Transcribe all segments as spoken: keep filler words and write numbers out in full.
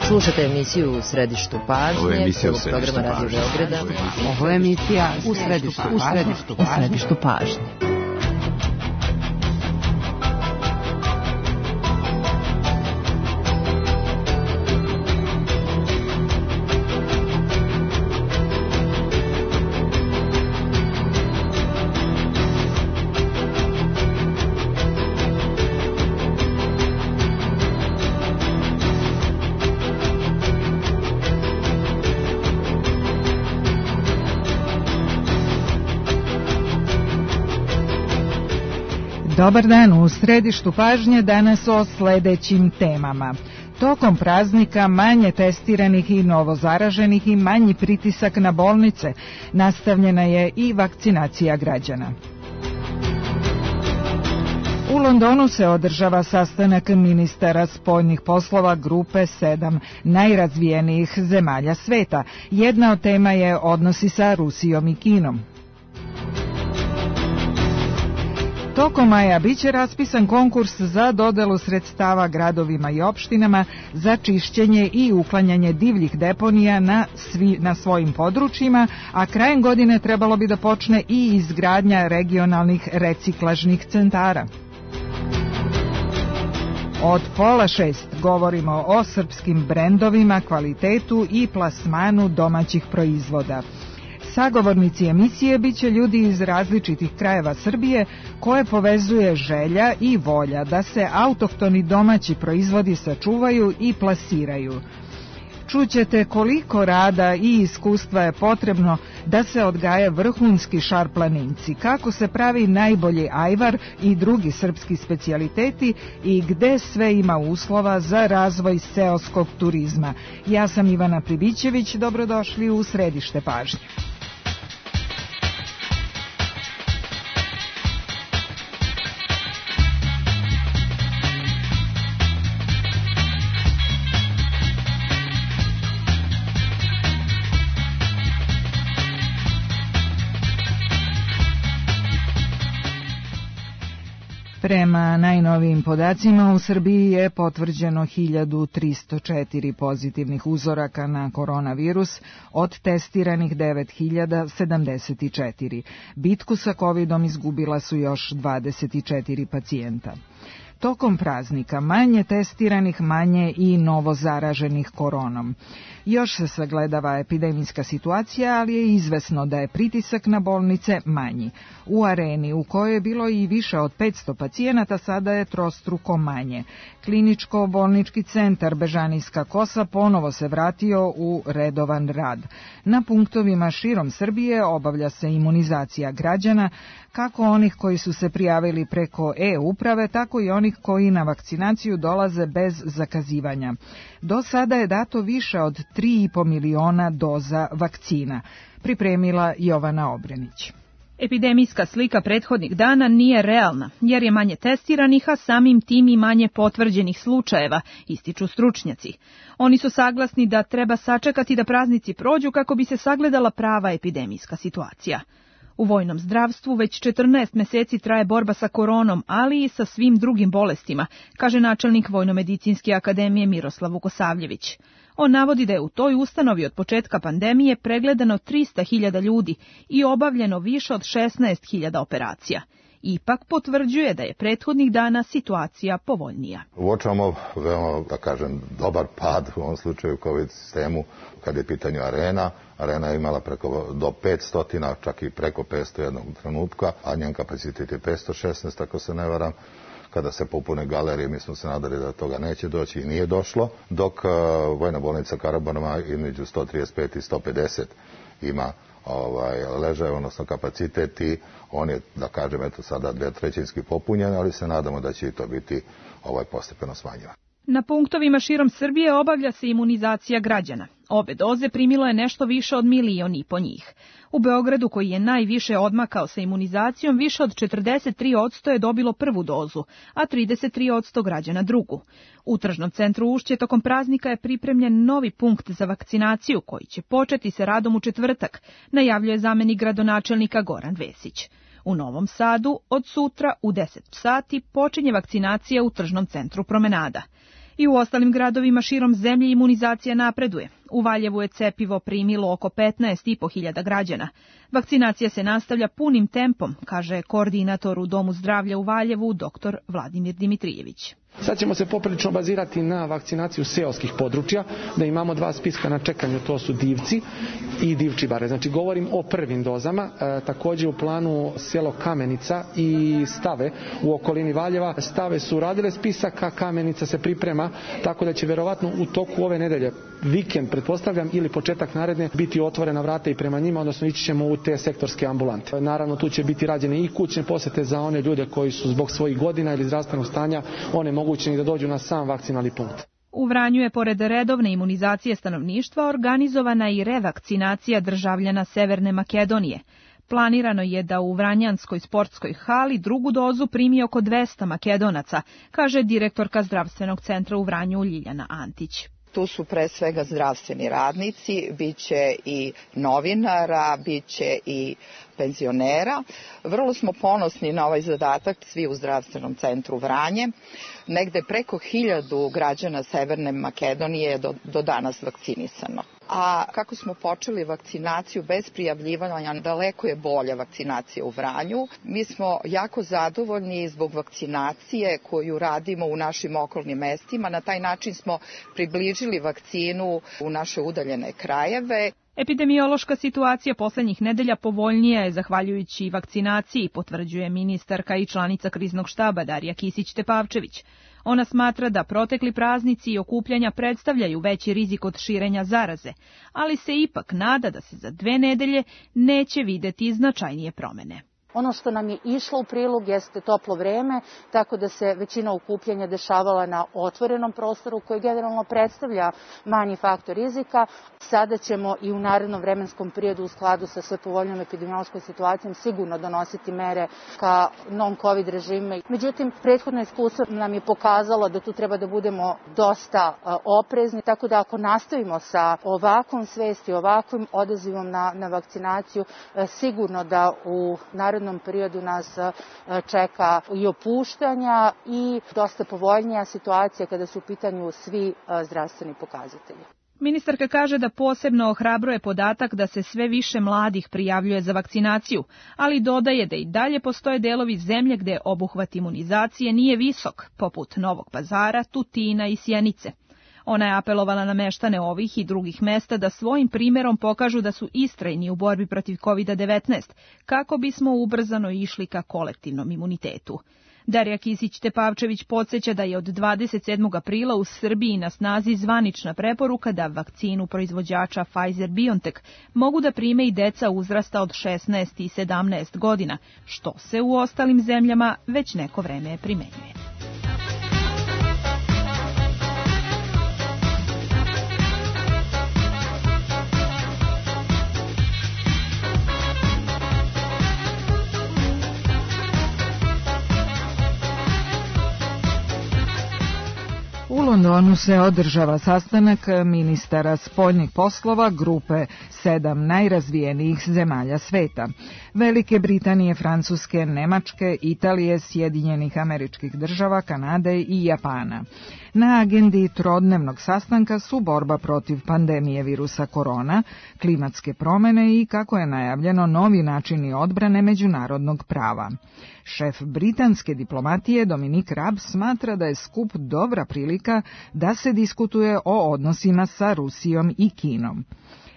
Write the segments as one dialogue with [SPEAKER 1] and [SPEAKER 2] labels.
[SPEAKER 1] Slušate emisiju U središtu pažnje.
[SPEAKER 2] Ovo je emisija U
[SPEAKER 1] središtu
[SPEAKER 2] pažnje.
[SPEAKER 1] Radio Beograda.
[SPEAKER 3] Ovo je emisija U središtu
[SPEAKER 1] U središtu, u središtu pažnje.
[SPEAKER 4] Dobar dan, u središtu pažnje danas o sledećim temama. Tokom praznika manje testiranih i novozaraženih i manji pritisak na bolnice. Nastavljena je i vakcinacija građana. U Londonu se održava sastanak ministara spoljnih poslova grupe sedam najrazvijenijih zemalja sveta. Jedna od tema je odnosi sa Rusijom i Kinom. Tokom maja biće raspisan konkurs za dodelu sredstava gradovima i opštinama za čišćenje i uklanjanje divljih deponija na, svi, na svojim područjima, a krajem godine trebalo bi da počne i izgradnja regionalnih reciklažnih centara. Od pola šest govorimo o srpskim brendovima, kvalitetu i plasmanu domaćih proizvoda. Sagovornici emisije biće ljudi iz različitih krajeva Srbije koje povezuje želja i volja da se autohtoni domaći proizvodi sačuvaju i plasiraju. Čućete koliko rada i iskustva je potrebno da se odgaje vrhunski šarplaninci, kako se pravi najbolji ajvar i drugi srpski specijaliteti i gde sve ima uslova za razvoj seoskog turizma. Ja sam Ivana Pribićević, dobrodošli u središte pažnje. Prema najnovijim podacima u Srbiji je potvrđeno hiljadu tristo četiri pozitivnih uzoraka na koronavirus, od testiranih devet hiljada sedamdeset četiri. Bitku sa kovidom izgubila su još dvadeset četiri pacijenta. Tokom praznika manje testiranih, manje i novozaraženih koronom. Još se sagledava epidemijska situacija, ali je izvesno da je pritisak na bolnice manji. U Areni, u kojoj je bilo i više od petsto pacijenata, sada je trostruko manje. Kliničko-bolnički centar Bežanijska Kosa ponovo se vratio u redovan rad. Na punktovima širom Srbije obavlja se imunizacija građana, kako onih koji su se prijavili preko e-uprave, tako i onih koji na vakcinaciju dolaze bez zakazivanja. Do sada je dato više od tri i po miliona doza vakcina, pripremila Jovana Obrenić.
[SPEAKER 5] Epidemijska slika prethodnih dana nije realna, jer je manje testiranih, a samim tim i manje potvrđenih slučajeva, ističu stručnjaci. Oni su saglasni da treba sačekati da praznici prođu kako bi se sagledala prava epidemijska situacija. U vojnom zdravstvu već četrnaest meseci traje borba sa koronom, ali i sa svim drugim bolestima, kaže načelnik Vojnomedicinske akademije Miroslav Vukosavljević. On navodi da je u toj ustanovi od početka pandemije pregledano trista hiljada ljudi i obavljeno više od šesnaest hiljada operacija. Ipak potvrđuje da je prethodnih dana situacija povoljnija.
[SPEAKER 6] Uočavamo veoma, da kažem, dobar pad u ovom slučaju COVID sistemu kad je pitanje Arena. Arena je imala preko do petsto, čak i preko petsto jednog trenutka, a njen kapacitet je petsto šesnaest, ako se ne varam. Kada se popune galerije, mi smo se nadali da toga neće doći i nije došlo, dok uh, Vojna bolnica Karaburma između sto trideset pet i sto pedeset ima ovaj, ležaj, odnosno kapacitet i on je, da kažem, eto sada dvetrećinski popunjen, ali se nadamo da će i to biti ovaj, postepeno smanjivan.
[SPEAKER 5] Na punktovima širom Srbije obavlja se imunizacija građana. Obe doze primilo je nešto više od milion i po njih. U Beogradu, koji je najviše odmakao sa imunizacijom, više od četrdeset tri posto je dobilo prvu dozu, a trideset tri posto građana drugu. U Tržnom centru Ušće tokom praznika je pripremljen novi punkt za vakcinaciju koji će početi sa radom u četvrtak, najavljuje zamenik gradonačelnika Goran Vesić. U Novom Sadu od sutra u deset sati počinje vakcinacija u Tržnom centru Promenada. I u ostalim gradovima širom zemlje imunizacija napreduje. U Valjevu je cepivo primilo oko petnaest i po hiljada građana. Vakcinacija se nastavlja punim tempom, kaže koordinator u Domu zdravlja u Valjevu, doktor Vladimir Dimitrijević.
[SPEAKER 2] Sad ćemo se poprilično bazirati na vakcinaciju seoskih područja, da imamo dva spiska na čekanju, to su Divci i Divčibare. Znači govorim o prvim dozama, e, također u planu selo Kamenica i Stave u okolini Valjeva. Stave su radile spisak, a Kamenica se priprema, tako da će verovatno u toku ove nedelje, vikend pretpostavljam, ili početak naredne, biti otvorena vrata i prema njima, odnosno ići ćemo u te sektorske ambulante. Naravno tu će biti rađene i kućne posete za one ljude koji su zbog svojih godina ili zdravstvenog stanja one mogućni da dođu na sam vakcinalni punkt.
[SPEAKER 5] U Vranju je pored redovne imunizacije stanovništva organizovana i revakcinacija državljana Severne Makedonije. Planirano je da u Vranjanskoj sportskoj hali drugu dozu primi oko dvesta Makedonaca, kaže direktorka zdravstvenog centra u Vranju Ljiljana Antić.
[SPEAKER 7] Tu su pre svega zdravstveni radnici, bit će i novinara, bit će i penzionera. Vrlo smo ponosni na ovaj zadatak, svi u zdravstvenom centru Vranje. Negde preko hiljadu građana Severne Makedonije je do, do danas vakcinisano. A kako smo počeli vakcinaciju bez prijavljivanja, daleko je bolja vakcinacija u Vranju. Mi smo jako zadovoljni zbog vakcinacije koju radimo u našim okolnim mestima. Na taj način smo približili vakcinu u naše udaljene krajeve.
[SPEAKER 5] Epidemiološka situacija poslednjih nedelja povoljnija je zahvaljujući vakcinaciji, potvrđuje ministarka i članica kriznog štaba Darija Kisić-Tepavčević. Ona smatra da protekli praznici i okupljanja predstavljaju veći rizik od širenja zaraze, ali se ipak nada da se za dve nedelje neće videti značajnije promene.
[SPEAKER 8] Ono što nam je išlo u prilog jeste toplo vreme, tako da se većina okupljanja dešavala na otvorenom prostoru koji generalno predstavlja manji faktor rizika. Sada ćemo i u narednom vremenskom periodu u skladu sa sve povoljnom epidemiološkom situacijom sigurno donositi mere ka non-covid režime. Međutim, prethodno iskustvo nam je pokazalo da tu treba da budemo dosta oprezni, tako da ako nastavimo sa ovakvom svesti, ovakvim odazivom na, na vakcinaciju, sigurno da u narednom periodu nas čeka i opuštanja i dosta povoljnija situacija kada su u pitanju svi zdravstveni pokazatelji.
[SPEAKER 5] Ministarka kaže da posebno ohrabruje podatak da se sve više mladih prijavljuje za vakcinaciju, ali dodaje da i dalje postoje delovi zemlje gde obuhvat imunizacije nije visok, poput Novog Pazara, Tutina i Sjenice. Ona je apelovala na meštane ovih i drugih mesta da svojim primjerom pokažu da su istrajni u borbi protiv kovid devetnaest, kako bismo ubrzano išli ka kolektivnom imunitetu. Darija Kisić-Tepavčević podsjeća da je od dvadeset sedmog aprila u Srbiji na snazi zvanična preporuka da vakcinu proizvođača Pfizer-BioNTech mogu da prime i deca uzrasta od šesnaest i sedamnaest godina, što se u ostalim zemljama već neko vreme primenjuje.
[SPEAKER 4] U Londonu se održava sastanak ministara spoljnih poslova grupe sedam najrazvijenijih zemalja sveta. Velike Britanije, Francuske, Nemačke, Italije, Sjedinjenih Američkih Država, Kanade i Japana. Na agendi trodnevnog sastanka su borba protiv pandemije virusa korona, klimatske promene i, kako je najavljeno, novi načini odbrane međunarodnog prava. Šef britanske diplomatije Dominic Raab smatra da je skup dobra prilika da se diskutuje o odnosima sa Rusijom i Kinom.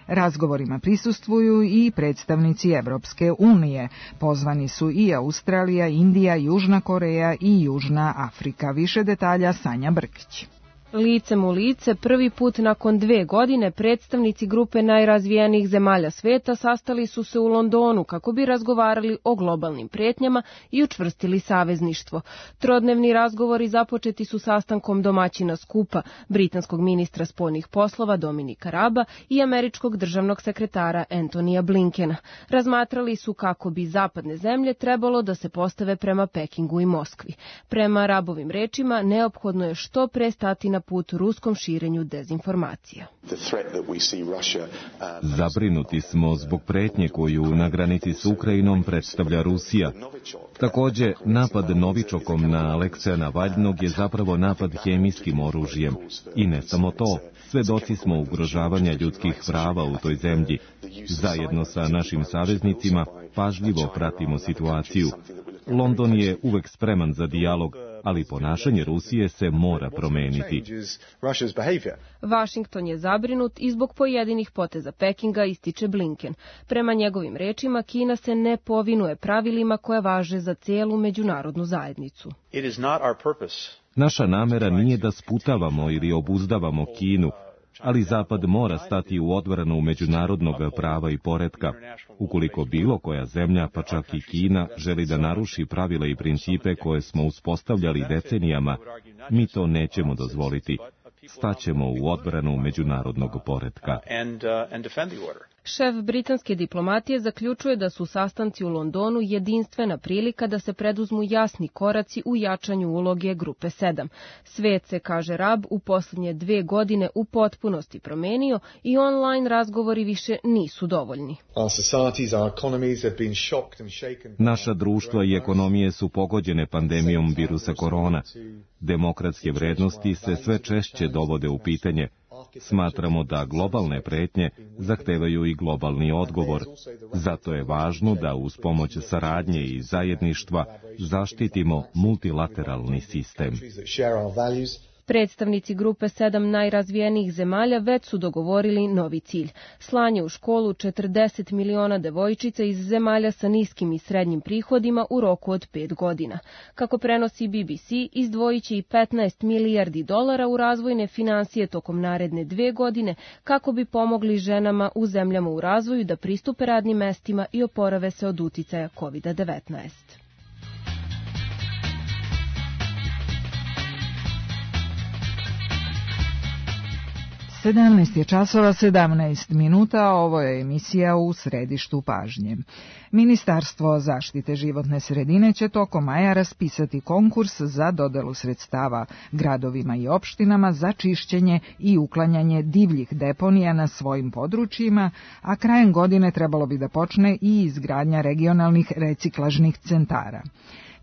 [SPEAKER 4] Razgovorima prisustvuju i predstavnici Evropske unije. Pozvani su i Australija, Indija, Južna Koreja i Južna Afrika. Više detalja Sanja Brkić.
[SPEAKER 9] Licem u lice, prvi put nakon dve godine predstavnici grupe najrazvijenijih zemalja sveta sastali su se u Londonu kako bi razgovarali o globalnim pretnjama i učvrstili savezništvo. Trodnevni razgovori započeti su sastankom domaćina skupa, britanskog ministra spoljnih poslova Dominika Raaba i američkog državnog sekretara Antonija Blinkena. Razmatrali su kako bi zapadne zemlje trebalo da se postave prema Pekingu i Moskvi. Prema Raabovim rečima, neophodno je što pre stati na put ruskom širenju dezinformacija.
[SPEAKER 10] Zabrinuti smo zbog pretnje koju na granici s Ukrajinom predstavlja Rusija. Takođe, napad novičokom na Alekseja Navalnog je zapravo napad hemijskim oružjem. I ne samo to, svedoci smo ugrožavanja ljudskih prava u toj zemlji. Zajedno sa našim saveznicima pažljivo pratimo situaciju. London je uvek spreman za dijalog, ali ponašanje Rusije se mora promeniti.
[SPEAKER 9] Vašington je zabrinut i zbog pojedinih poteza Pekinga, ističe Blinken. Prema njegovim rečima, Kina se ne povinuje pravilima koje važe za cijelu međunarodnu zajednicu.
[SPEAKER 10] Naša namera nije da sputavamo ili obuzdavamo Kinu, ali Zapad mora stati u odbranu međunarodnog prava i poretka. Ukoliko bilo koja zemlja, pa čak i Kina, želi da naruši pravila i principe koje smo uspostavljali decenijama, mi to nećemo dozvoliti. Staćemo u odbranu međunarodnog poretka.
[SPEAKER 9] Šef britanske diplomatije zaključuje da su sastanci u Londonu jedinstvena prilika da se preduzmu jasni koraci u jačanju uloge Grupe sedam. Svet se, kaže Rab, u posljednje dve godine u potpunosti promenio i online razgovori više nisu dovoljni.
[SPEAKER 10] Naša društva i ekonomije su pogođene pandemijom virusa korona. Demokratske vrednosti se sve češće dovode u pitanje. Smatramo da globalne pretnje zahtevaju i globalni odgovor. Zato je važno da uz pomoć saradnje i zajedništva zaštitimo multilateralni sistem.
[SPEAKER 9] Predstavnici Grupe sedam najrazvijenijih zemalja već su dogovorili novi cilj. Slanje u školu četrdeset miliona devojčica iz zemalja sa niskim i srednjim prihodima u roku od pet godina. Kako prenosi B B C, izdvojit će i petnaest milijardi dolara u razvojne finansije tokom naredne dve godine kako bi pomogli ženama u zemljama u razvoju da pristupe radnim mestima i oporave se od uticaja kovid devetnaest.
[SPEAKER 4] sedamnaest je časova sedamnaest minuta, ovo je emisija U središtu pažnje. Ministarstvo zaštite životne sredine će tokom maja raspisati konkurs za dodelu sredstava gradovima i opštinama za čišćenje i uklanjanje divljih deponija na svojim područjima, a krajem godine trebalo bi da počne i izgradnja regionalnih reciklažnih centara.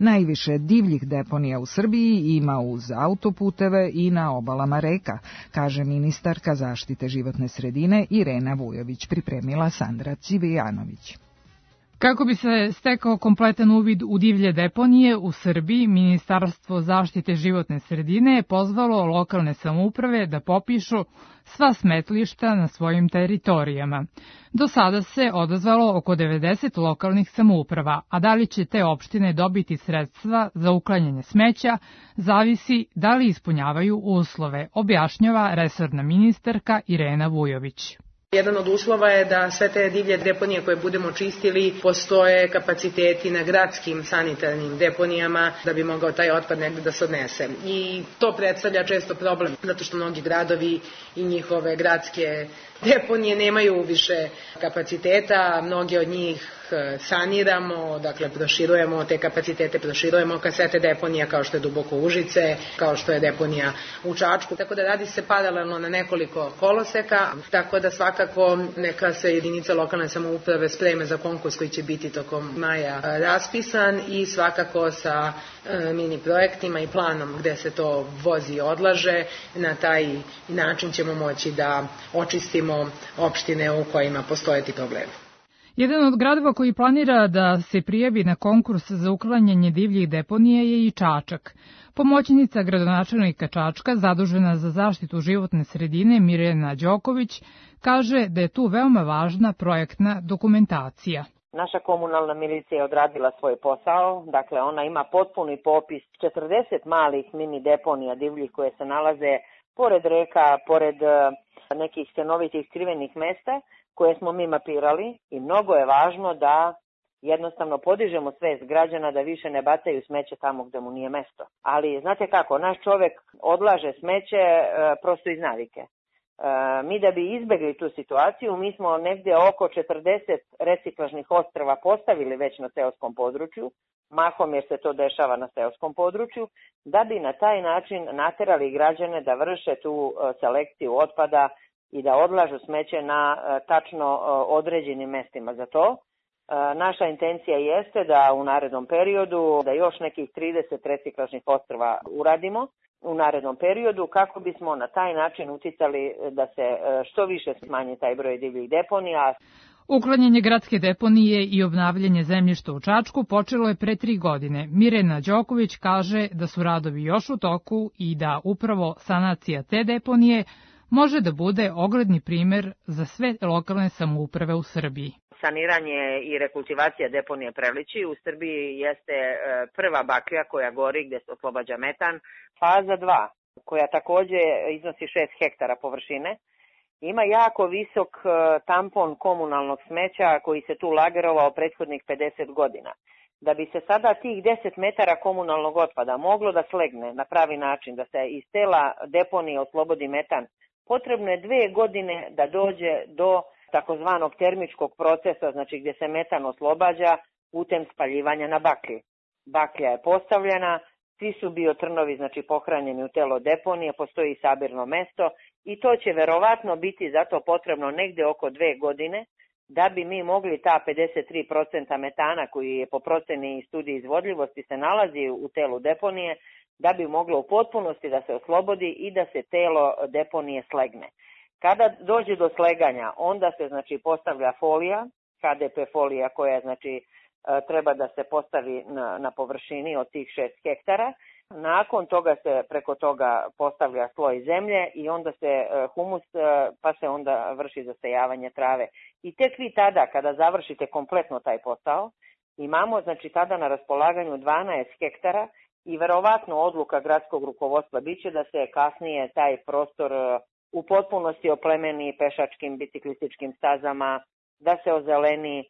[SPEAKER 4] Najviše divljih deponija u Srbiji ima uz autoputeve i na obalama reka, kaže ministarka zaštite životne sredine Irena Vujović, pripremila Sandra Civijanović.
[SPEAKER 11] Kako bi se stekao kompletan uvid u divlje deponije u Srbiji, Ministarstvo zaštite životne sredine je pozvalo lokalne samouprave da popišu sva smetlišta na svojim teritorijama. Do sada se odazvalo oko devedeset lokalnih samouprava, a da li će te opštine dobiti sredstva za uklanjanje smeća, zavisi da li ispunjavaju uslove, objašnjava resorna ministarka Irena Vujović.
[SPEAKER 12] Jedan od uslova je da sve te divlje deponije koje budemo čistili postoje kapaciteti na gradskim sanitarnim deponijama da bi mogao taj otpad negde da se odnese. I to predstavlja često problem, zato što mnogi gradovi i njihove gradske deponije nemaju više kapaciteta, mnoge od njih saniramo, dakle proširujemo te kapacitete, proširujemo kasete deponija kao što je Duboko Užice, kao što je deponija u Čačku, tako da radi se paralelno na nekoliko koloseka, tako da svakako neka se jedinica lokalne samouprave spreme za konkurs koji će biti tokom maja raspisan i svakako sa mini projektima i planom gde se to vozi i odlaže, na taj način ćemo moći da očistimo opštine u kojima postoje ti problemi.
[SPEAKER 11] Jedan od gradova koji planira da se prijavi na konkurs za uklanjanje divljih deponija je i Čačak. Pomoćnica gradonačelnika Čačka, zadužena za zaštitu životne sredine, Mirjana Đoković, kaže da je tu veoma važna projektna dokumentacija.
[SPEAKER 13] Naša komunalna milicija je odradila svoj posao, dakle ona ima potpuni popis četrdeset malih mini deponija divljih koje se nalaze pored reka, pored nekih stenovitih skrivenih mesta, koje smo mi mapirali i mnogo je važno da jednostavno podižemo svest građana da više ne bacaju smeće tamo gde mu nije mesto. Ali znate kako, naš čovek odlaže smeće e, prosto iz navike. Mi da bi izbegli tu situaciju, mi smo negdje oko četrdeset reciklažnih ostrva postavili već na seoskom području, mahom jer se to dešava na seoskom području, da bi na taj način naterali građane da vrše tu selekciju otpada i da odlažu smeće na tačno određenim mestima za to. Naša intencija jeste da u narednom periodu, da još nekih trideset reciklažnih ostrva uradimo u narednom periodu, kako bismo na taj način uticali da se što više smanji taj broj divljih deponija.
[SPEAKER 11] Uklanjanje gradske deponije i obnavljanje zemljišta u Čačku počelo je pre tri godine. Mirjana Đoković kaže da su radovi još u toku i da upravo sanacija te deponije može da bude ogledni primer za sve lokalne samouprave u Srbiji.
[SPEAKER 13] Saniranje i rekultivacija deponije Prelići u Srbiji jeste prva baklja koja gori gdje se oslobađa metan. Faza dva, koja također iznosi šest hektara površine, ima jako visok tampon komunalnog smeća koji se tu lagerovao prethodnih pedeset godina. Da bi se sada tih deset metara komunalnog otpada moglo da slegne na pravi način, da se iz tela deponije oslobodi metan, potrebno je dve godine da dođe do takozvanog termičkog procesa, znači gdje se metan oslobađa putem spaljivanja na baklji. Baklja je postavljena, svi su biotrnovi znači pohranjeni u telo deponije, postoji sabirno mesto i to će verovatno biti zato potrebno negdje oko dve godine da bi mi mogli ta pedeset tri posto metana koji je po proceni i studiji izvodljivosti se nalazi u telu deponije, da bi moglo u potpunosti da se oslobodi i da se telo deponije slegne. Kada dođe do sleganja, onda se znači postavlja folija, H D P folija koja znači treba da se postavi na, na površini od tih šest hektara. Nakon toga se preko toga postavlja sloj zemlje i onda se humus, pa se onda vrši zasejavanje trave. I tek vi tada, kada završite kompletno taj posao, imamo znači tada na raspolaganju dvanaest hektara i verovatno odluka gradskog rukovodstva biće da se kasnije taj prostor u potpunosti oplemeni pešačkim, biciklističkim stazama, da se ozeleni, e,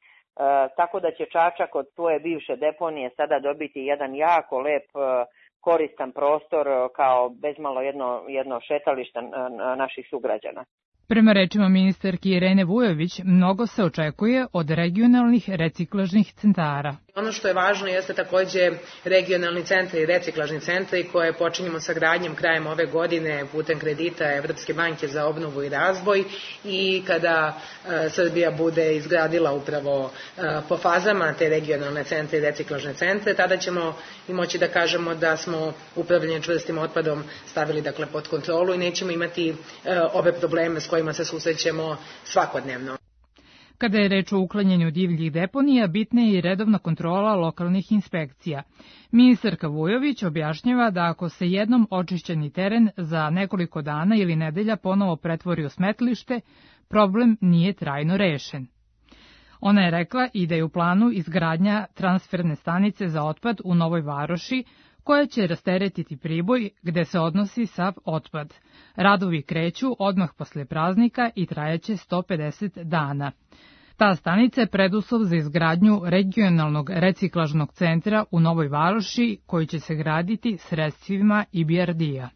[SPEAKER 13] tako da će Čačak od svoje bivše deponije sada dobiti jedan jako lep, e, koristan prostor kao bezmalo jedno, jedno šetalište naših sugrađana.
[SPEAKER 11] Prema rečima ministarki Irene Vujović, mnogo se očekuje od regionalnih reciklažnih centara.
[SPEAKER 12] Ono što je važno jeste također regionalni centri i reciklažni centri koje počinjemo sa gradnjom krajem ove godine putem kredita Evropske banke za obnovu i razvoj i kada e, Srbija bude izgradila upravo e, po fazama te regionalne centre i reciklažne centre, tada ćemo i moći da kažemo da smo upravljanje čvrstim otpadom stavili dakle pod kontrolu i nećemo imati e, ove probleme s kojima se susrećemo svakodnevno.
[SPEAKER 11] Kada je reč o uklanjanju divljih deponija, bitna je i redovna kontrola lokalnih inspekcija. Ministarka Vujović objašnjava da ako se jednom očišćeni teren za nekoliko dana ili nedelja ponovo pretvori u smetlište, problem nije trajno rešen. Ona je rekla i da je u planu izgradnja transferne stanice za otpad u Novoj Varoši, koja će rasteretiti Priboj gde se odnosi sav otpad. Radovi kreću odmah posle praznika i trajaće sto pedeset dana. Ta stanica je preduslov za izgradnju regionalnog reciklažnog centra u Novoj Varoši koji će se graditi sredstvima I B R D-a.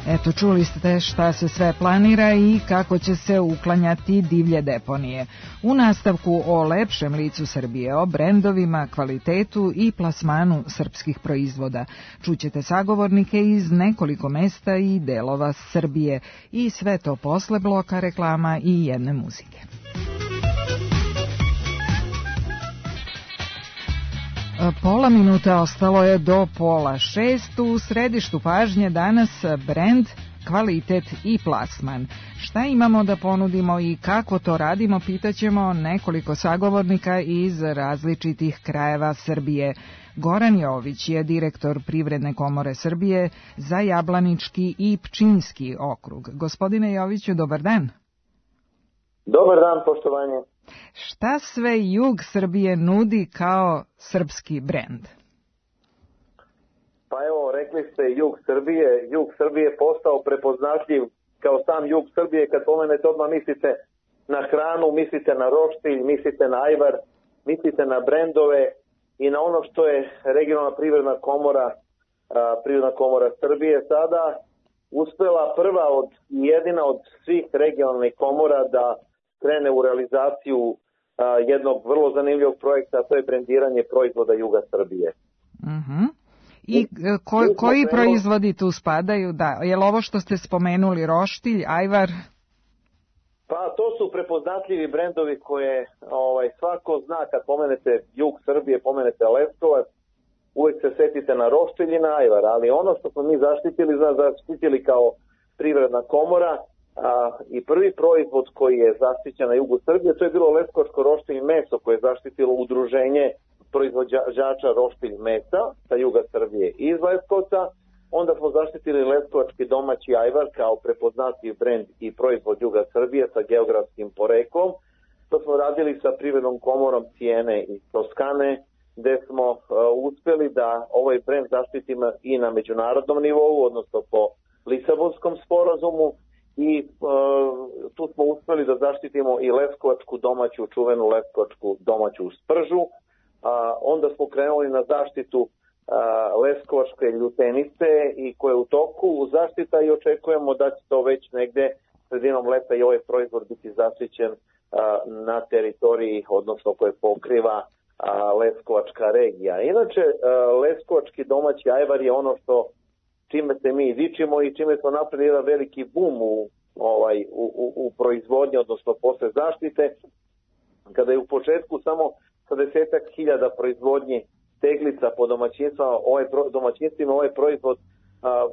[SPEAKER 4] Eto, čuli ste šta se sve planira i kako će se uklanjati divlje deponije. U nastavku o lepšem licu Srbije, o brendovima, kvalitetu i plasmanu srpskih proizvoda. Čućete sagovornike iz nekoliko mesta i delova Srbije i sve to posle bloka reklama i jedne muzike. Pola minuta ostalo je do pola šest. U središtu pažnje danas brend, kvalitet i plasman. Šta imamo da ponudimo i kako to radimo, pitaćemo nekoliko sagovornika iz različitih krajeva Srbije. Goran Jović je direktor Privredne komore Srbije za Jablanički i Pčinjski okrug. Gospodine Joviću, dobar dan.
[SPEAKER 14] Dobar dan, poštovanje.
[SPEAKER 4] Šta sve jug Srbije nudi kao srpski brend?
[SPEAKER 14] Pa evo, rekli ste jug Srbije. Jug Srbije je postao prepoznatljiv kao sam jug Srbije. Kad pomenete odmah mislite na hranu, mislite na roštilj, mislite na ajvar, mislite na brendove i na ono što je regionalna privredna komora, Privredna komora Srbije sada uspela prva od jedina od svih regionalnih komora da krene u realizaciju a, jednog vrlo zanimljivog projekta, a to je brendiranje proizvoda juga Srbije.
[SPEAKER 4] Uh-huh. I ko, koji proizvodi tu spadaju? Da, je li ovo što ste spomenuli roštilj, ajvar?
[SPEAKER 14] Pa to su prepoznatljivi brendovi koje ovaj, svako zna kad pomenete jug Srbije, pomenete Leskovac, uvijek se setite na roštilj i na ajvar, ali ono što smo mi zaštitili, zna, zaštitili kao privredna komora a, i prvi proizvod koji je zaštićen na jugu Srbije, to je bilo leskovačko roštilj meso koje je zaštitilo udruženje proizvođača roštilj mesa sa juga Srbije iz Leskovca. Onda smo zaštitili leskovački domaći ajvar kao prepoznatljiv brend i proizvod juga Srbije sa geografskim poreklom. To smo radili sa privrednom komorom Cijene iz Toskane, gde smo uh, uspeli da ovaj brend zaštitimo i na međunarodnom nivou, odnosno po Lisabonskom sporazumu, i uh, tu smo uspeli da zaštitimo i leskovačku domaću, čuvenu leskovačku domaću spržu. Uh, onda smo krenuli na zaštitu uh, leskovačke ljutenice i koje je u toku zaštita i očekujemo da će to već negde sredinom leta i ovaj proizvod biti zaštićen uh, na teritoriji, odnosno koje pokriva a, Leskovačka regija. Inače, a, leskovački domaći ajvar je ono što čime se mi dičimo i čime smo napravili jedan veliki bum u, ovaj, u, u, u proizvodnji, odnosno posle zaštite, kada je u početku samo sa desetak hiljada proizvodnji teglica po domaćinstvima, ovaj, domaćinstvima ovaj proizvod a,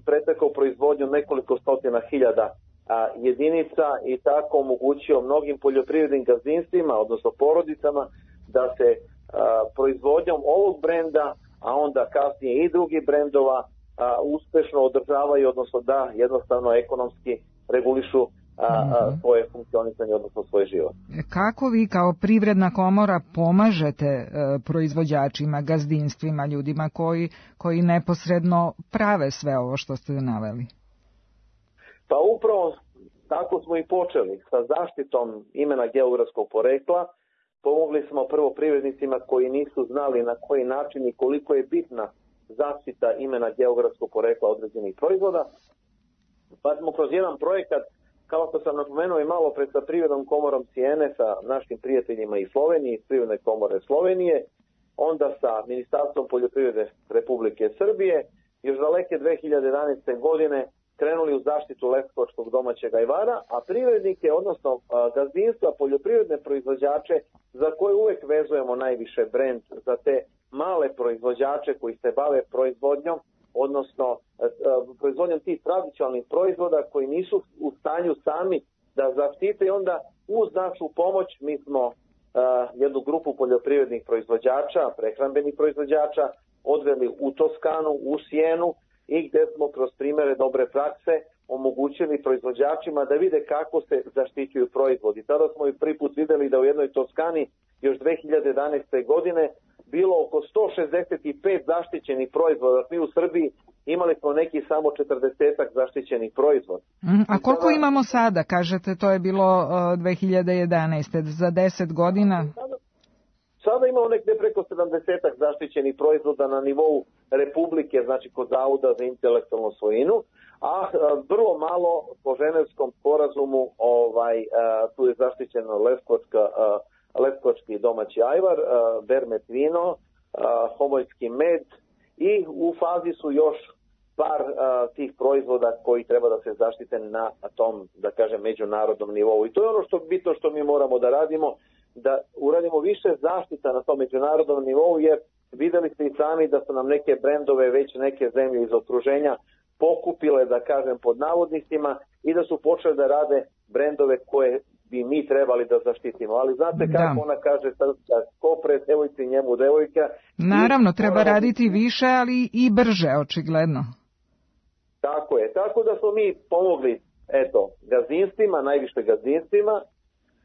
[SPEAKER 14] pretekao proizvodnju nekoliko stotina hiljada a, jedinica i tako omogućio mnogim poljoprivrednim gazdinstvima, odnosno porodicama, da se a, proizvodnjom ovog brenda, a onda kasnije i drugih brendova, a, uspešno održavaju, odnosno da jednostavno ekonomski regulišu a, a, svoje funkcionisanje, odnosno svoj život.
[SPEAKER 4] Kako vi kao privredna komora pomažete e, proizvođačima, gazdinstvima, ljudima koji, koji neposredno prave sve ovo što ste naveli?
[SPEAKER 14] Pa upravo tako smo i počeli sa zaštitom imena geografskog porekla. Pomogli smo prvo privrednicima koji nisu znali na koji način i koliko je bitna zaštita imena geografskog porekla određenih proizvoda. Pa smo kroz jedan projekat, kao što sam napomenuo i malo pred sa privrednom komorom Cijene, sa našim prijateljima iz Slovenije, iz privredne komore Slovenije, onda sa Ministarstvom poljoprivrede Republike Srbije, još daleke dve hiljade jedanaeste. godine krenuli u zaštitu leskovačkog domaćeg ajvara, a privrednike, odnosno gazdinstva, poljoprivredne proizvođače, za koje uvek vezujemo najviše brend, za te male proizvođače koji se bave proizvodnjom, odnosno proizvodnjom tih tradicionalnih proizvoda koji nisu u stanju sami da zaštite, i onda uz našu pomoć mi smo uh, jednu grupu poljoprivrednih proizvođača, prehrambenih proizvođača, odveli u Toskanu, u Sijenu, i gde smo kroz primere dobre prakse omogućili proizvođačima da vide kako se zaštićuju proizvodi. Tada smo i prvi put videli da u jednoj Toskani još dve hiljade jedanaeste. godine bilo oko sto šezdeset pet zaštićenih proizvoda. Mi u Srbiji imali smo neki samo četrdeset zaštićenih proizvoda.
[SPEAKER 4] A koliko sada imamo sada? Kažete, to je bilo uh, dve hiljade jedanaeste. Za deset godina?
[SPEAKER 14] Sada, sada imamo nekde preko sedamdeset zaštićenih proizvoda na nivou Republike, znači kod Zavoda za intelektualnu svojinu, a vrlo malo po Ženevskom sporazumu ovaj, a, tu je zaštićeno leskovačka, a, leskovački domaći ajvar, a, bermet vino, a, homoljski med, i u fazi su još par a, tih proizvoda koji treba da se zaštite na tom, da kažem, međunarodnom nivou. I to je ono što bitno što mi moramo da radimo, da uradimo više zaštita na tom međunarodnom nivou, jer videli ste i sami da su nam neke brendove već neke zemlje iz okruženja pokupile, da kažem, pod navodnicima, i da su počeli da rade brendove koje bi mi trebali da zaštitimo. Ali znate kako da. Ona kaže, ko pred devojci njemu devojka.
[SPEAKER 4] Naravno, treba raditi više, ali i brže, očigledno.
[SPEAKER 14] Tako je. Tako da smo mi pomogli, eto, gazdinstvima, najviše gazdinstvima,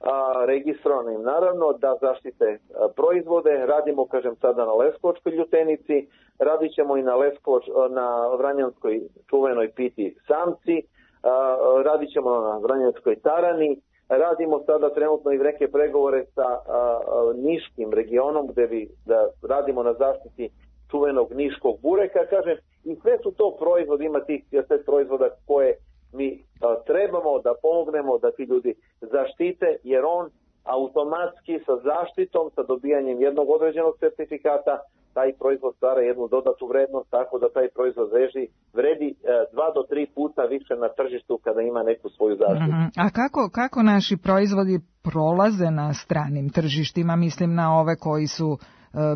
[SPEAKER 14] a, registrovanim naravno, da zaštite a, proizvode. Radimo, kažem, sada na leskovačkoj ljutenici, radit ćemo i na, Leskovač, na vranjanskoj čuvenoj piti samci, a, radit ćemo na vranjanskoj tarani, radimo sada trenutno i neke pregovore sa a, a, niškim regionom, gde bi da radimo na zaštiti čuvenog niškog bureka, kažem, i sve su to proizvodi, ima tih sve proizvoda koje mi a, trebamo da pomognemo da ti ljudi zaštite, jer on automatski sa zaštitom, sa dobijanjem jednog određenog certifikata, taj proizvod stvara jednu dodatnu vrednost, tako da taj proizvod vredi, vredi e, dva do tri puta više na tržištu kada ima neku svoju zaštitu.
[SPEAKER 4] Mm-hmm. A kako, kako naši proizvodi prolaze na stranim tržištima, mislim na ove koji su e,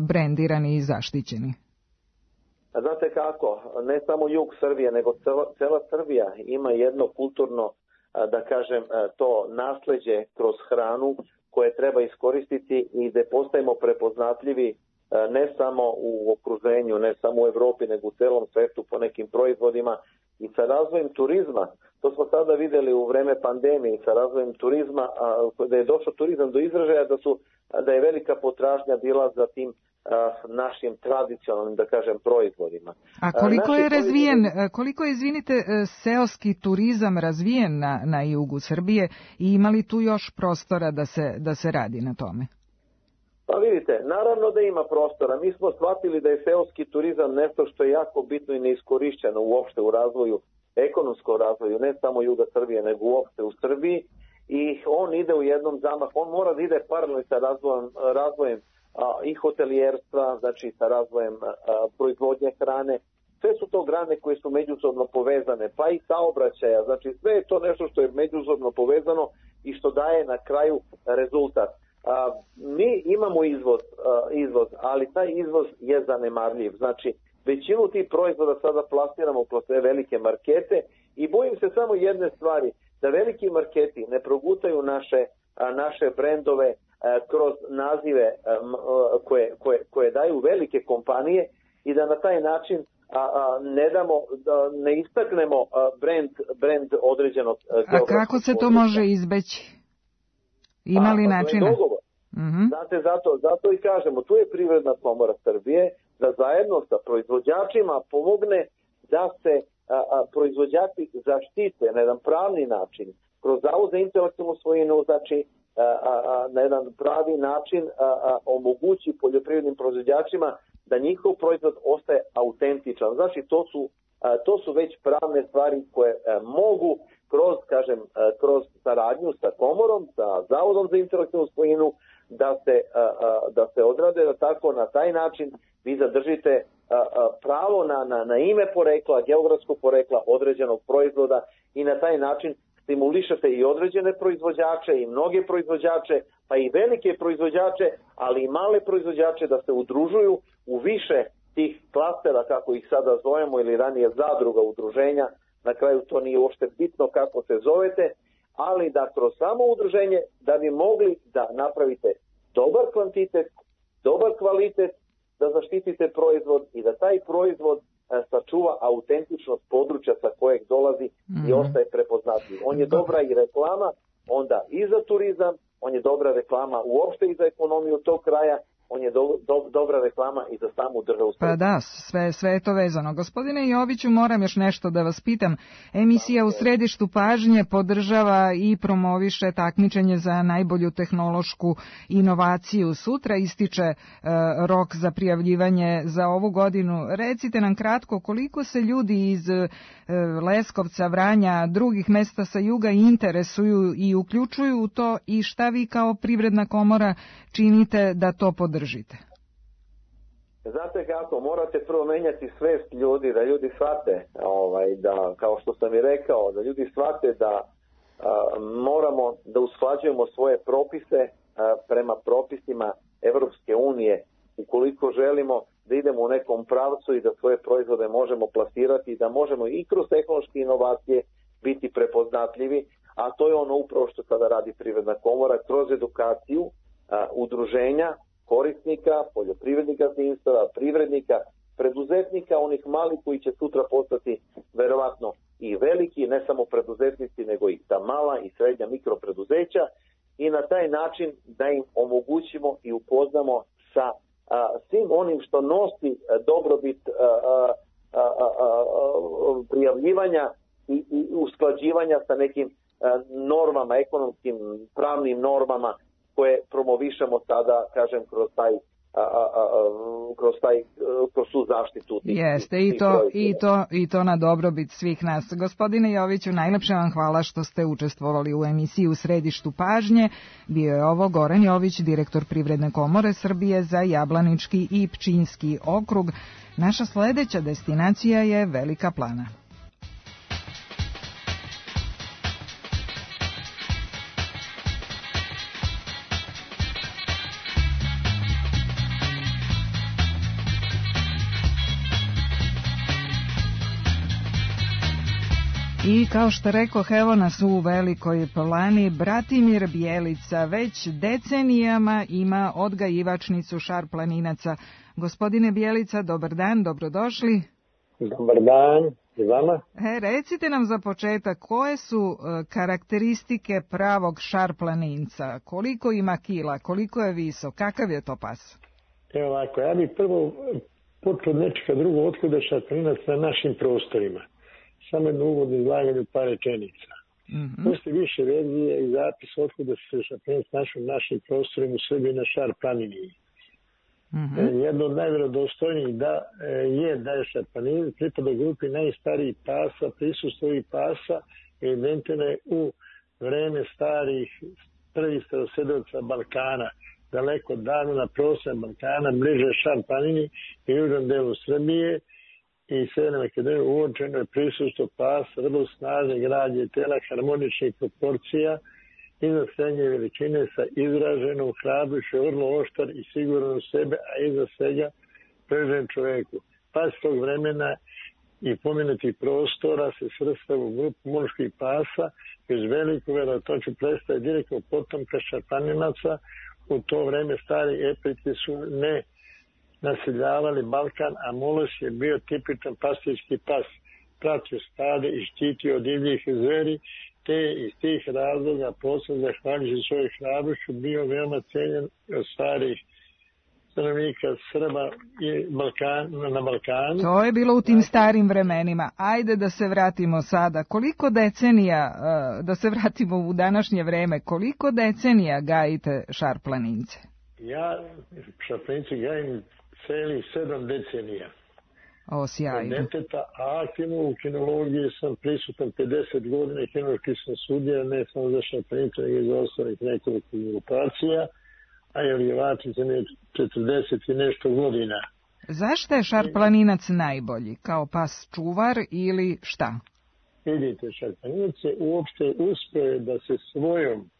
[SPEAKER 4] brendirani i zaštićeni?
[SPEAKER 14] A znate kako, ne samo jug Srbije, nego cela, cela Srbija ima jedno kulturno, da kažem, to nasleđe kroz hranu koje treba iskoristiti i gde postajemo prepoznatljivi ne samo u okruženju, ne samo u Evropi, nego u celom svetu po nekim proizvodima i sa razvojem turizma. To smo sada videli u vreme pandemije, sa razvojem turizma, da je došao turizam do izražaja, da, su, da je velika potražnja bila za tim našim tradicionalnim, da kažem, proizvodima.
[SPEAKER 4] A koliko
[SPEAKER 14] Naši
[SPEAKER 4] je razvijen,
[SPEAKER 14] proizvodi...
[SPEAKER 4] koliko je, izvinite, seoski turizam razvijen na, na jugu Srbije i ima li tu još prostora da se, da se radi na tome?
[SPEAKER 14] Pa vidite, naravno da ima prostora. Mi smo shvatili da je seoski turizam nešto što je jako bitno i neiskorišćeno uopšte u razvoju, ekonomskom razvoju, ne samo juga Srbije, nego uopšte u Srbiji. I on ide u jednom zamahu, on mora da ide paralelno sa razvojem, razvojem a, i hotelijerstva, znači sa razvojem a, proizvodnje hrane. Sve su to grane koje su međusobno povezane, pa i saobraćaja. Znači sve je to nešto što je međusobno povezano i što daje na kraju rezultat. A, mi imamo izvoz, a, izvoz, ali taj izvoz je zanemarljiv. Znači, većinu tih proizvoda sada plasiramo kroz sve velike markete i bojim se samo jedne stvari, da veliki marketi ne progutaju naše, a, naše brendove a, kroz nazive a, koje, koje, koje daju velike kompanije i da na taj način a, a, ne damo, da ne istaknemo a, brend, brend određenog geografskog.
[SPEAKER 4] A kako se to
[SPEAKER 14] područja.
[SPEAKER 4] može izbeći? Ima li načina?
[SPEAKER 14] Mm-hmm. Znate, zato, zato i kažemo, tu je Privredna komora Srbije da zajedno sa proizvođačima pomogne da se a, a, proizvođači zaštite na jedan pravni način, kroz Zavod za intelektualnu svojinu, znači a, a, a, na jedan pravi način a, a, omogući poljoprivrednim proizvođačima da njihov proizvod ostaje autentičan. Znači, to su, a, to su već pravne stvari koje a, mogu kroz, kažem, a, kroz saradnju sa komorom, sa Zavodom za intelektualnu svojinu, da se, a, a, da se odrade da tako na taj način vi zadržite a, a, pravo na, na, na ime porekla, geografskog porekla određenog proizvoda i na taj način stimulišete i određene proizvođače i mnoge proizvođače, pa i velike proizvođače, ali i male proizvođače da se udružuju u više tih klastera, kako ih sada zovemo, ili ranije zadruga, udruženja. Na kraju to nije uopšte bitno kako se zovete, ali da kroz samo udruženje da bi mogli da napravite dobar kvantitet, dobar kvalitet, da zaštitite proizvod i da taj proizvod e, sačuva autentičnost područja sa kojeg dolazi mm-hmm. i ostaje prepoznatljiv. On je dobra i reklama, onda i za turizam, on je dobra reklama uopšte i za ekonomiju tog kraja, on je do, do, dobra reklama i za samu državu.
[SPEAKER 4] Pa da, sve, sve je to vezano. Gospodine Joviću, moram još nešto da vas pitam. Emisija U središtu pažnje podržava i promoviše takmičenje za najbolju tehnološku inovaciju. Sutra ističe e, rok za prijavljivanje za ovu godinu. Recite nam kratko koliko se ljudi iz e, Leskovca, Vranja, drugih mesta sa juga interesuju i uključuju u to i šta vi kao Privredna komora činite da to podržite? Držite.
[SPEAKER 14] Znate kako, morate prvo menjati svest ljudi, da ljudi shvate, ovaj, da, kao što sam i rekao, da ljudi shvate da a, moramo da usklađujemo svoje propise a, prema propisima Evropske unije, ukoliko želimo da idemo u nekom pravcu i da svoje proizvode možemo plasirati i da možemo i kroz tehnološke inovacije biti prepoznatljivi, a to je ono upravo što sada radi Privredna komora kroz edukaciju a, udruženja, korisnika, poljoprivrednika, gazdinstava, privrednika, preduzetnika, onih malih koji će sutra postati verovatno i veliki, ne samo preduzetnici, nego i ta mala i srednja mikropreduzeća i na taj način da im omogućimo i upoznamo sa a, svim onim što nosi a, dobrobit a, a, a, a, a, prijavljivanja i, i usklađivanja sa nekim a, normama, ekonomskim, pravnim normama koje promovišemo sada, kažem, kroz taj a, a, a, kroz, taj, kroz tu zaštitu. Tih,
[SPEAKER 4] Jeste,
[SPEAKER 14] tih
[SPEAKER 4] i, to, i, to, i to na dobrobit svih nas. Gospodine Joviću, najlepše vam hvala što ste učestvovali u emisiji U središtu pažnje. Bio je ovo Goran Jović, direktor Privredne komore Srbije za Jablanički i Pčinjski okrug. Naša sledeća destinacija je Velika Plana. I kao što rekoh, evo nas u Velikoj Plani. Bratimir Bjelica već decenijama ima odgajivačnicu šarplaninaca. Gospodine Bjelica, dobar dan, dobrodošli.
[SPEAKER 15] Dobar dan, i vama.
[SPEAKER 4] E, recite nam za početak, koje su e, karakteristike pravog šarplaninca? Koliko ima kila, koliko je visok, kakav je to pas?
[SPEAKER 15] Evo ovako, ja bih prvo počeo od nečega drugo, otkuda šarplaninac na našim prostorima. Samo jedno uvodno izlaganje par rečenica. Mm-hmm. Postoji više verzije i zapis otkuda se šarplaninac našao na našim prostorima u Srbiji na Šar-planini. Mm-hmm. Jedno od najvjerodostojnijih da je da je šarplaninac pripada grupi najstarijih pasa, prisustvo ovih pasa evidentirano je u vreme starih prvih starosedeoca Balkana, daleko davno na prostoru Balkana, bliže Šar-planini i južnom delu Srbije i Severne Makedonije uočeno je prisustvo pasa, vrlo snažne građe tela, harmoničnih proporcija, iznad srednje veličine sa izraženom hrabrošću, vrlo oštar i siguran u sebe, a iza svega prežen čoveku. Pas tog vremena i pomenutih prostora se svrstava u grupu muških pasa, bez veliku verovatnoću predstavlja direktno potomka šarplaninaca. U to vreme stari epiti su ne naseljavali Balkan, a Molos je bio tipičan pastirski pas, pratio stade i štitio od divljih zveri, te iz tih razloga posebno zahvaljujući svojoj hrabrošću bio veoma cenjen od starih stanovnika Srba i Balkan, na Balkanu.
[SPEAKER 4] To je bilo u tim starim vremenima. Ajde da se vratimo sada. Koliko decenija, da se vratimo u današnje vreme, koliko decenija gajite šarplanince?
[SPEAKER 15] Ja šarplanince gajim celih sedam decenija.
[SPEAKER 4] O, sjajno.
[SPEAKER 15] Deteta, a aktivno u kinologiji sam prisutan pedeset godina i kinološki sam sudija, ne samo za šarplanice, nego i za ostalih nekoliko grupacija, a jeljevači za ne četrdeset i nešto godina.
[SPEAKER 4] Zašto je šarplaninac najbolji? Kao pas čuvar ili šta?
[SPEAKER 15] Vidite, šarplaninac je uopšte uspeo da se svojom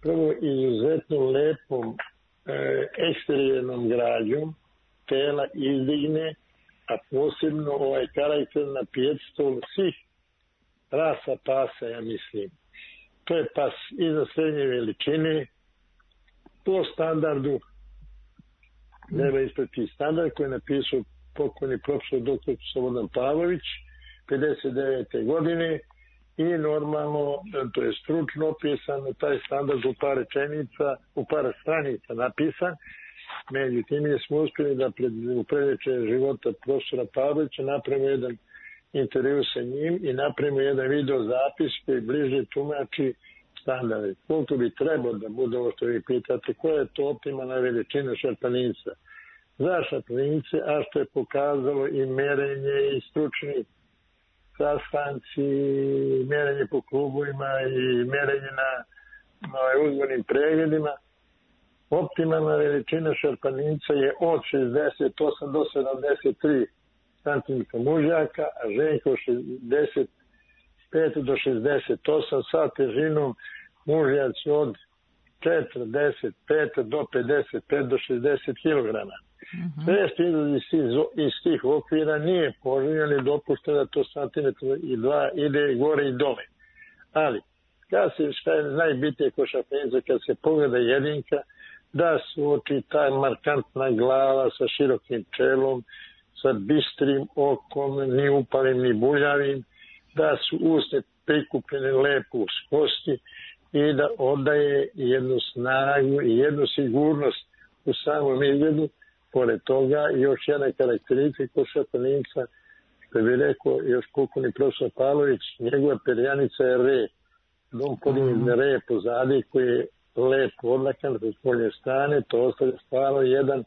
[SPEAKER 15] prvo izuzetno lepom e, eksterijernom građom tela izdigne, a posebno ovaj karakter na pijedstol svih rasa pasa, ja mislim. To je pas iza srednje veličine, po standardu, treba isprati standard koji je napisao pokojni profesor doktor Slobodan Pavlović pedeset devete godine i normalno, to je stručno opisano, taj standard u par rečenica, u par stranica napisan. Međutim, je smo uspjeli da pred, u predveče života profesora Pavlovića napravimo jedan intervju sa njim i napravimo jedan video zapis koji bliže tumači standarde. Koliko bi trebalo da bude ovo što vi pitate, koja je to optimalna veličina šarplaninca za šarplanince, a što je pokazalo i merenje i stručni sastanci, merenje po klubovima i merenje na, na uzvornim pregledima. Optimalna veličina šarplaninca je od šezdeset osam do sedamdeset tri centimetra mužjaka, a ženka od šezdeset pet do šezdeset osam sa težinom mužjaci od četrdeset pet do pedeset pet do šezdeset kilograma. Mm-hmm. Sve što iz tih okvira nije poželjno ni dopušteno da to santimetra i dva ide gore i dole. Ali, kad se, šta je najbitnije kod šarplaninca, kad se pogleda jedinka, da su oči taj markantna glava sa širokim čelom, sa bistrim okom, ni upalim ni buljavim, da su usne prikupljene lepo uz kosti i da odaje jednu snagu i jednu sigurnost u samom izgledu. Pored toga, još jedna karakteristika kod šarplaninca, što bi rekao još pokojni profesor Pavlović, njegova perjanica je re. Dom podigne re pozadi koji je lepo odlakan sa spoljne strane, to ostaje stvarno jedan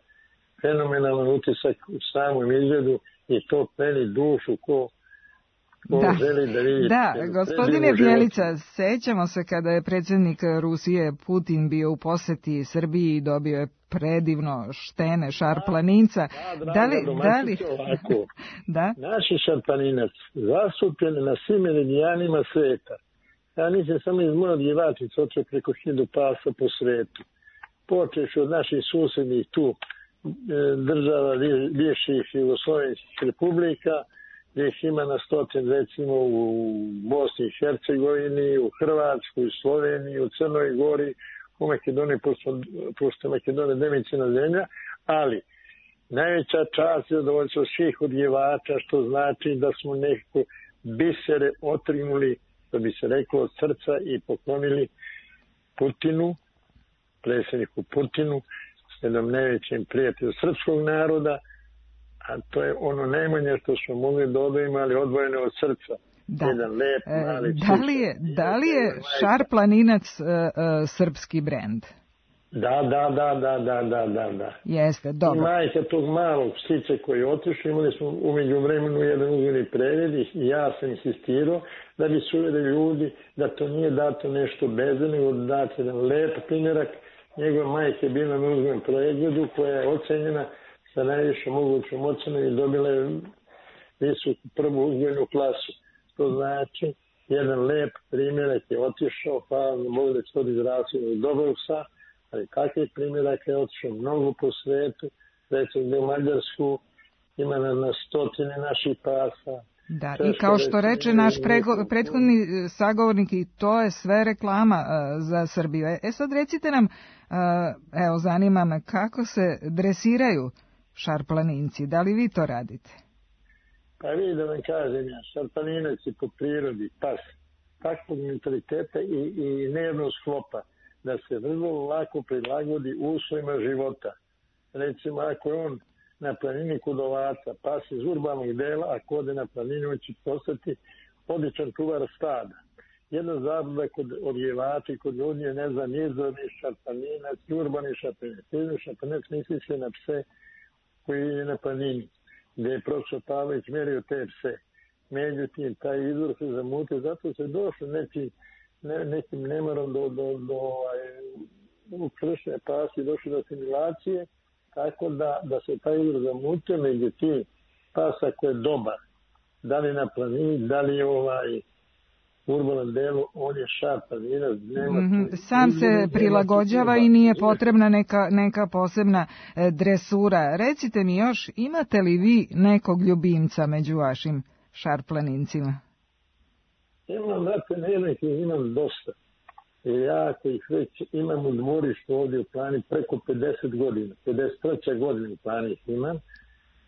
[SPEAKER 15] fenomenalan utisak u samom izgledu i to peni dušu ko, ko
[SPEAKER 4] da.
[SPEAKER 15] želi da vidi.
[SPEAKER 4] Da, gospodine Bjelica, sećamo se kada je predsjednik Rusije Putin bio u poseti Srbiji i dobio je predivno štene šarplaninca.
[SPEAKER 15] Da, da,
[SPEAKER 4] da li, da li...
[SPEAKER 15] ovako.
[SPEAKER 4] da?
[SPEAKER 15] Naši šarplaninac zastupljeni na svim meridijanima sveta. Ja nisam samo iz moje odjevačice očeo preko hiljadu pasa po svetu. Počeš od naših susjednih tu država bivših jugoslovenskih republika, gdje ih ima na stotin, recimo u Bosni i Hercegovini, u Hrvatskoj, u Sloveniji, u Crnoj Gori, u Makedoniji, pošto, pošto Makedonija demicijalna zemlja, ali najveća čast je zadovoljstvo svih odjevača, što znači da smo nekako bisere otrinuli, da bi se reklo, od srca i poklonili Putinu, predsjedniku Putinu, jednom najvećem prijatelju srpskog naroda, a to je ono najmanje što smo mogli da dobijemo, ali odvojeno od srca.
[SPEAKER 4] Da.
[SPEAKER 15] Jedan lep, mali
[SPEAKER 4] da li je, da li je šarplaninac uh, uh, srpski brend?
[SPEAKER 15] Da, da, da, da, da, da, da, da.
[SPEAKER 4] Jeste, dobro.
[SPEAKER 15] I majka tog malog psića koji je otišao, imali smo umeđu vremenu jedan uzmeni pregled i ja sam insistirao da bi se uvjeri ljudi da to nije dato nešto bez, nego da dati jedan lep primjerak. Njegova majka je bila na uzmenom pregledu koja je ocenjena sa najviše mogućom ocenom i dobila je visoku prvu uzmenu klasu. To znači, jedan lep primjerak je otišao, hvala na Bogu da će to izrasio od dobrog psa, ali takvih primjerak je otišao mnogo po svetu, recimo da u Mađarsku ima na, na stotine naših pasa.
[SPEAKER 4] Da, i kao što reče naš prego, prethodni sagovornik, i to je sve reklama uh, za Srbiju. E sad recite nam, uh, evo zanima me, kako se dresiraju šarplaninci, da li vi to radite?
[SPEAKER 15] Pa vi da vam kažem ja, šarplaninac je po prirodi pas takvog mentaliteta i, i nejednog sklopa, da se vrlo lako prilagodi uslovima života. Recimo, ako je on na planini kod ovaca, pas iz urbanog dela, ako ode na planinu, on će postati odličan čuvar stada. Jedna zabluda kod odjevača i kod ljudi je, ne znam, nizorni šarplaninac, urbani šarplaninac. Nizorni šarplaninac misli se na pse koji je na planini, gdje je profesor Pavlović merio te pse. Međutim, taj izvor se zamutio, zato se došlo nekim, ne, nekim nemarom do, do, do ovaj, kršne pasi, došlo do asimilacije, tako da, da se taj izvor zamutio, međutim, pasa koji je dobar, da li na planini, da li ovaj u urbanom delu, on je šarplaninac.
[SPEAKER 4] Mm-hmm. Sam se prilagođava i nije potrebna neka, neka posebna e, dresura. Recite mi još, imate li vi nekog ljubimca među vašim šarplanincima?
[SPEAKER 15] Imam, znate, nekih imam dosta. I ja ih već imam u dvorištu ovdje u plani preko pedeset godina. pedeset treća godina u plani ih imam.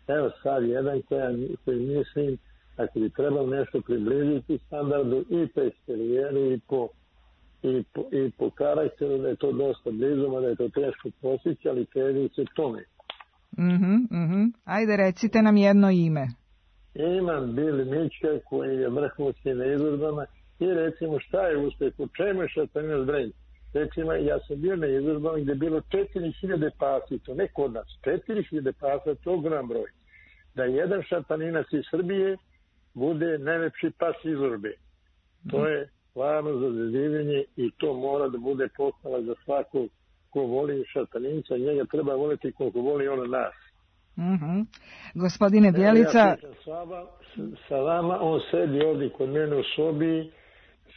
[SPEAKER 15] Evo sad jedan koja, koji mislim, ako bi trebalo nešto približiti standardu i po eksterijeru i po, i, po, i po karakteru, da je to dosta blizu, da je to teško postići, ali teži se tome.
[SPEAKER 4] Mm-hmm, mm-hmm. Ajde, recite nam jedno ime.
[SPEAKER 15] Imam Bili Mička koji je vrhunski na izložbama i recimo šta je uspjeh, u čemu je šarplaninac brend. Recimo, ja sam bio na izložbama gdje je bilo četiri hiljade pasa, to ne kod nas, četiri hiljade pasa, to ogrom broj. Da jedan šarplaninac iz Srbije bude najlepši pas izložbe. To je stvarno za zazivljenje i to mora da bude pohvala za svakog ko voli šarplaninca, njega treba voliti koliko voli ono nas.
[SPEAKER 4] Mm-hmm. Gospodine Bjelica,
[SPEAKER 15] ja sa, vama, sa vama, on sedi ovdje kod mene u sobi,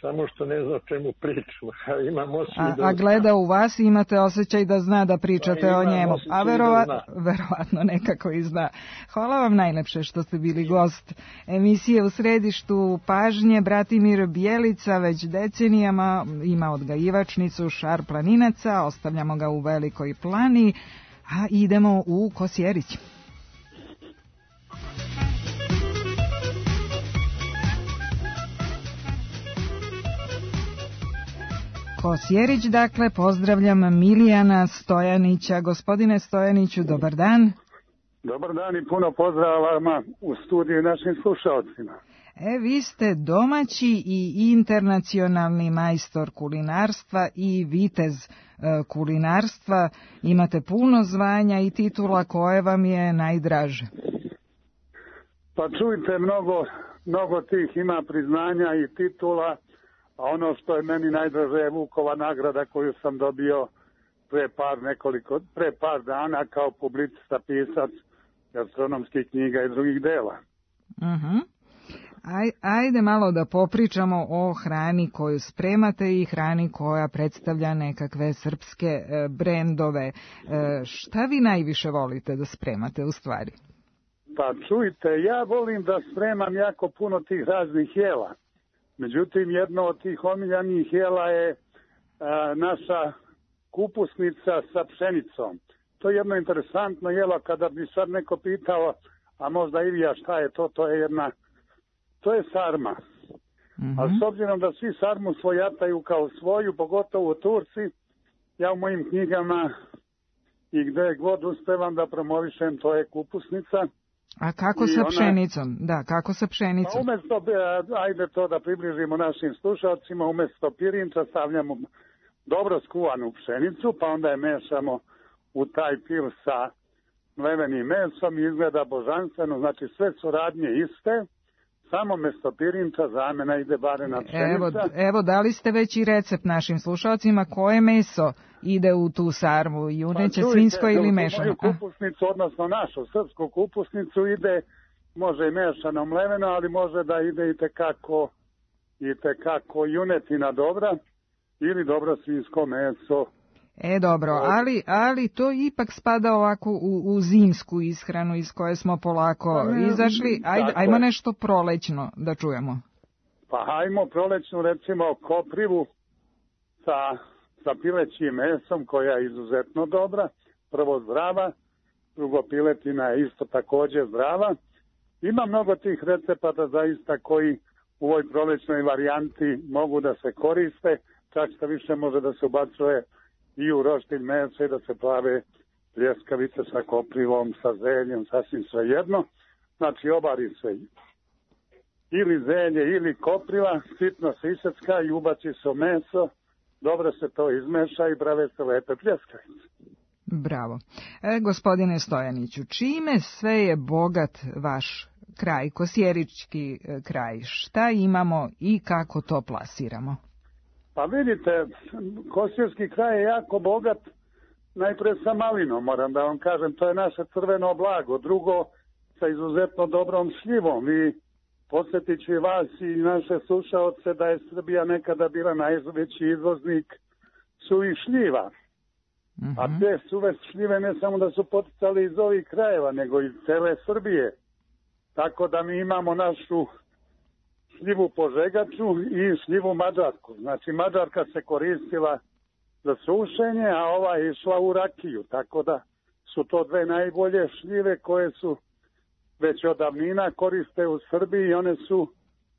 [SPEAKER 15] samo što ne zna o čemu pričam. Imam
[SPEAKER 4] a, a gleda u vas i imate osjećaj da zna da pričate pa o njemu, a verovat, verovatno nekako i zna. Hvala vam najlepše što ste bili gost emisije U središtu pažnje. Bratimir Bjelica već decenijama ima odgajivačnicu šarplaninaca, ostavljamo ga u Velikoj Plani, a idemo u Kosjerić. Kosjerić, dakle, pozdravljam Milijana Stojanića. Gospodine Stojaniću, dobar dan.
[SPEAKER 16] Dobar dan i puno pozdrava u studiju našim slušalcima.
[SPEAKER 4] E, vi ste domaći i internacionalni majstor kulinarstva i vitez e, kulinarstva. Imate puno zvanja i titula, koje vam je najdraže?
[SPEAKER 16] Pa čujte, mnogo, mnogo tih ima priznanja i titula, a ono što je meni najdraže je Vukova nagrada koju sam dobio pre par, nekoliko, pre par dana kao publicista, pisac gastronomskih knjiga i drugih dela.
[SPEAKER 4] Uh-huh. Aj, ajde malo da popričamo o hrani koju spremate i hrani koja predstavlja nekakve srpske e, brendove. E, šta vi najviše volite da spremate u stvari?
[SPEAKER 16] Pa čujte, ja volim da spremam jako puno tih raznih jela. Međutim, jedno od tih omiljanih jela je a, naša kupusnica sa pšenicom. To je jedno interesantno jelo. Kada bi sad neko pitao, a možda i vi, a šta je to, to je jedna, to je sarma. Mm-hmm. A s obzirom da svi sarmu svojataju kao svoju, pogotovo Turci, ja u mojim knjigama i gde god uspevam da promovišem, to je kupusnica.
[SPEAKER 4] A kako
[SPEAKER 16] I
[SPEAKER 4] sa
[SPEAKER 16] ona,
[SPEAKER 4] pšenicom? Da, kako sa pšenicom?
[SPEAKER 16] Pa umesto, ajde to da približimo našim slušalcima, umesto pirinča stavljamo dobro skuvanu pšenicu, pa onda je mešamo u taj pil sa mlevenim mesom i izgleda božanstveno, znači sve su radnje iste, samo mesto pirinča zamena ide barena pšenica.
[SPEAKER 4] Evo, evo, dali ste već i recept našim slušalcima, koje meso ide u tu sarmu, juneće, pa, svinjsko ili mešano?
[SPEAKER 16] Moju kupusnicu, odnosno našu srpsku kupusnicu, ide, može i mešano mleveno, ali može da ide i tekako, i tekako junetina dobra ili dobro svinjsko meso.
[SPEAKER 4] E, dobro, ali, ali to ipak spada ovako u, u zimsku ishranu iz koje smo polako izašli. Ajde, ajmo nešto prolećno da čujemo.
[SPEAKER 16] Pa hajmo prolećnu, recimo koprivu sa, sa pilećim mesom, koja je izuzetno dobra. Prvo zdrava, drugo piletina je isto također zdrava. Ima mnogo tih recepata zaista koji u ovoj prolećnoj varijanti mogu da se koriste, čak što više može da se ubacuje i u roštilj mesa i da se plave pljeskavice sa koprivom, sa zeljem, sasvim svejedno. Znači obari se ili zelje ili kopriva, sitno se isecka i ubaci se u meso, dobro se to izmeša i prave se lepe pljeskavice.
[SPEAKER 4] Bravo. E, gospodine Stojaniću, čime sve je bogat vaš kraj, kosjerički kraj? Šta imamo i kako to plasiramo?
[SPEAKER 16] Pa vidite, kosjerski kraj je jako bogat, najpre sa malinom, moram da vam kažem, to je naše crveno blago. Drugo, sa izuzetno dobrom šljivom. I posjetit ću i vas i naše slušaoce da je Srbija nekada bila najveći izvoznik suvih šljiva. Mm-hmm. A te suve šljive ne samo da su poticali iz ovih krajeva, nego iz cele Srbije. Tako da mi imamo našu šljivu požegaču i šljivu mađarsku. Znači mađarka se koristila za sušenje, a ova je išla u rakiju. Tako da su to dve najbolje šljive koje su već od davnina koriste u Srbiji i one su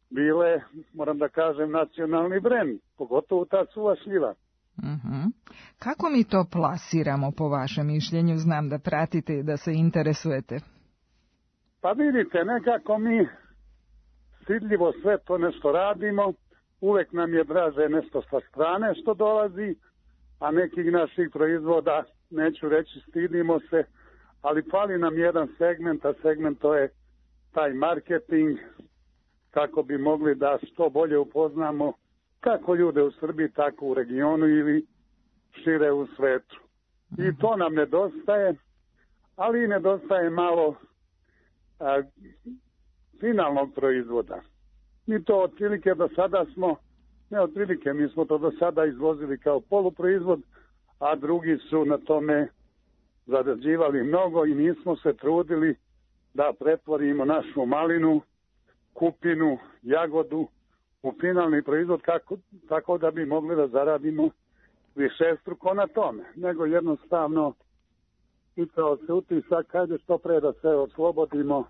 [SPEAKER 16] bile, moram da kažem, nacionalni brend, pogotovo ta suva šljiva.
[SPEAKER 4] Uh-huh. Kako mi to plasiramo po vašem mišljenju? Znam da pratite i da se interesujete.
[SPEAKER 16] Pa vidite, nekako mi stidljivo sve to nešto radimo, uvek nam je draže nešto sa strane što dolazi, a nekih naših proizvoda, neću reći stidimo se, ali fali nam jedan segment, a segment to je taj marketing, kako bi mogli da što bolje upoznamo kako ljude u Srbiji, tako u regionu ili šire u svetu. I to nam nedostaje, ali i nedostaje malo a, finalnog proizvoda. Mi to otprilike do sada smo, ne otprilike, mi smo to do sada izvozili kao poluproizvod, a drugi su na tome zarađivali mnogo i nismo se trudili da pretvorimo našu malinu, kupinu, jagodu u finalni proizvod kako, tako da bi mogli da zaradimo višestruko na tome. Nego jednostavno pitao se utisak, hajde što pre da se oslobodimo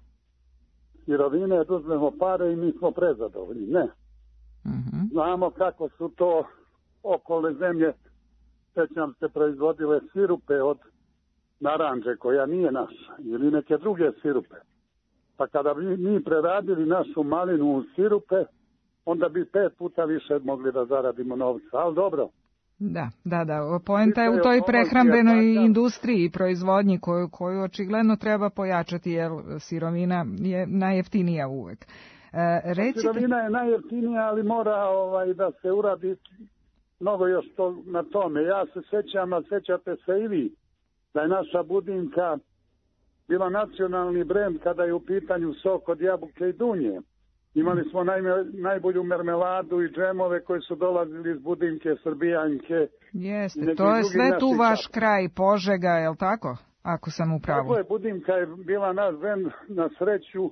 [SPEAKER 16] sirovine, da uzmemo pare i mi smo prezadovoljni. Ne. Mm-hmm. Znamo kako su to okolne zemlje, sećam se, proizvodile sirupe od naranđe koja nije naša ili neke druge sirupe. Pa kada bi mi preradili našu malinu u sirupe, onda bi pet puta više mogli da zaradimo novca, ali dobro.
[SPEAKER 4] Da, da, da. Poenta je u toj prehrambenoj industriji i proizvodnji koju, koju očigledno treba pojačati, jer sirovina je najjeftinija uvek. E, recite...
[SPEAKER 16] Sirovina je najjeftinija, ali mora ovaj, da se uradi mnogo još to, na tome. Ja se sećam, a sećate se i vi, da je naša Budimka bila nacionalni brend kada je u pitanju sok od jabuke i dunje. Imali smo naj, najbolju mermeladu i džemove koji su dolazili iz Budimke, Srbijanke.
[SPEAKER 4] Jeste, to je sve tu vaš kraj, Požega, je li tako? Ako sam u pravu.
[SPEAKER 16] Tako je, Budimka je bila naš brend, na sreću.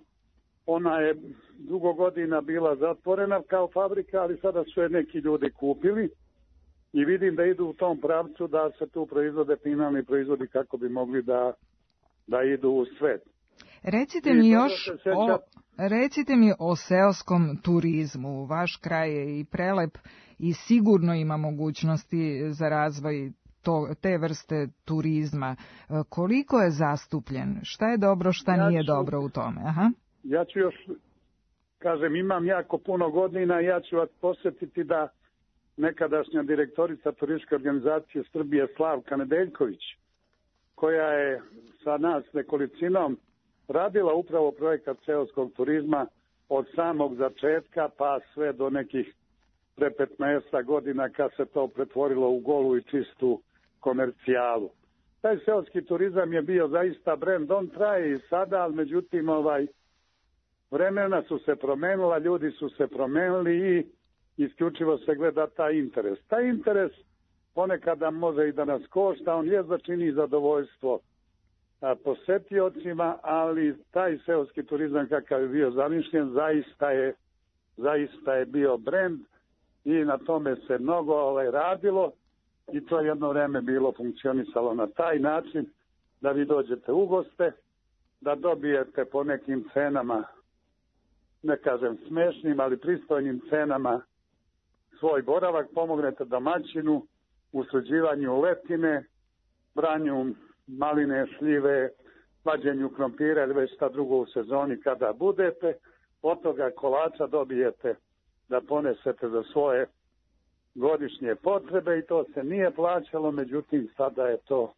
[SPEAKER 16] Ona je dugo godina bila zatvorena kao fabrika, ali sada su je neki ljudi kupili. I vidim da idu u tom pravcu da se tu proizvode finalni proizvodi kako bi mogli da, da idu u svet.
[SPEAKER 4] Recite mi još o, recite mi o seoskom turizmu. Vaš kraj je i prelep i sigurno ima mogućnosti za razvoj to, te vrste turizma. Koliko je zastupljen? Šta je dobro, šta ja nije ću, dobro u tome? Aha.
[SPEAKER 16] Ja ću još, kažem, imam jako puno godina, ja ću vas posjetiti da nekadašnja direktorica turističke organizacije Srbije Slavka Nedeljković, koja je sa nas nekolicinom radila upravo projekat seoskog turizma od samog začetka pa sve do nekih pre petnaest godina kad se to pretvorilo u golu i čistu komercijalu. Taj seoski turizam je bio zaista brend, on traje i sada, ali međutim ovaj, vremena su se promenila, ljudi su se promenili i isključivo se gleda taj interes. Taj interes ponekada može i da nas košta, on je začini zadovoljstvo a, posetiocima, ali taj seoski turizam kakav je bio zamišljen zaista je, zaista je bio brend i na tome se mnogo ovaj, radilo i to jedno vreme bilo funkcionisalo na taj način da vi dođete u goste, da dobijete po nekim cenama, ne kažem smešnim, ali pristojnim cenama svoj boravak, pomognete domaćinu u sređivanju letine, branju maline, šljive, vađenju krompira ili već šta drugo u sezoni kada budete. Od toga kolača dobijete da ponesete za svoje godišnje potrebe i to se nije plaćalo, međutim sada je to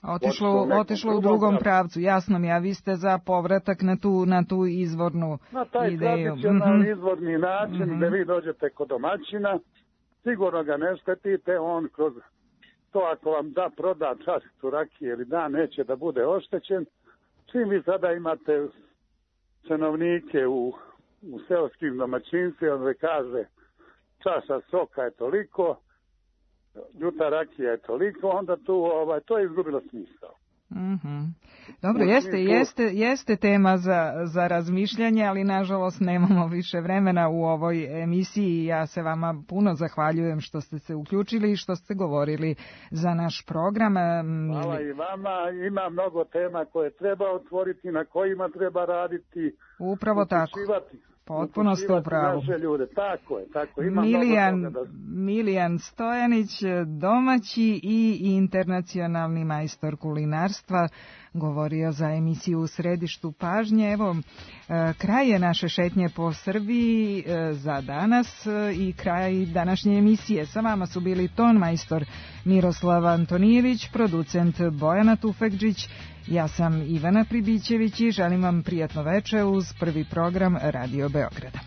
[SPEAKER 4] Otišlo, otišlo u drugom pravcu, jasno mi, a vi ste za povratak na tu, na tu izvornu
[SPEAKER 16] na taj
[SPEAKER 4] ideju.
[SPEAKER 16] tradicionalni
[SPEAKER 4] mm-hmm.
[SPEAKER 16] izvorni način mm-hmm. gde vi dođete kod domaćina, sigurno ga ne štetite, on kroz to ako vam da proda čašicu rakije ili da neće da bude oštećen. Čim vi sada imate cenovnike u, u seoskim domaćinstvima, on kaže čaša soka je toliko, ljuta rakija je toliko, onda tu, ovaj, to je izgubilo smisao.
[SPEAKER 4] Mm-hmm. Dobro, jeste, jeste, jeste tema za, za razmišljanje, ali nažalost nemamo više vremena u ovoj emisiji. Ja se vama puno zahvaljujem što ste se uključili i što ste govorili za naš program.
[SPEAKER 16] Hvala i vama, ima mnogo tema koje treba otvoriti, na kojima treba raditi.
[SPEAKER 4] Upravo tako. Potpuno ste u pravu.
[SPEAKER 16] Tako je, tako. Ima
[SPEAKER 4] Milijan,
[SPEAKER 16] da...
[SPEAKER 4] Milijan Stojanić, domaći i internacionalni majstor kulinarstva, govorio za emisiju U središtu pažnje. Evo, kraj je naše šetnje po Srbiji za danas i kraj današnje emisije. Sa vama su bili ton majstor Miroslav Antonijević, producent Bojana Tufekđić. Ja sam Ivana Pribićević i želim vam prijatno veče uz prvi program Radio Beograda.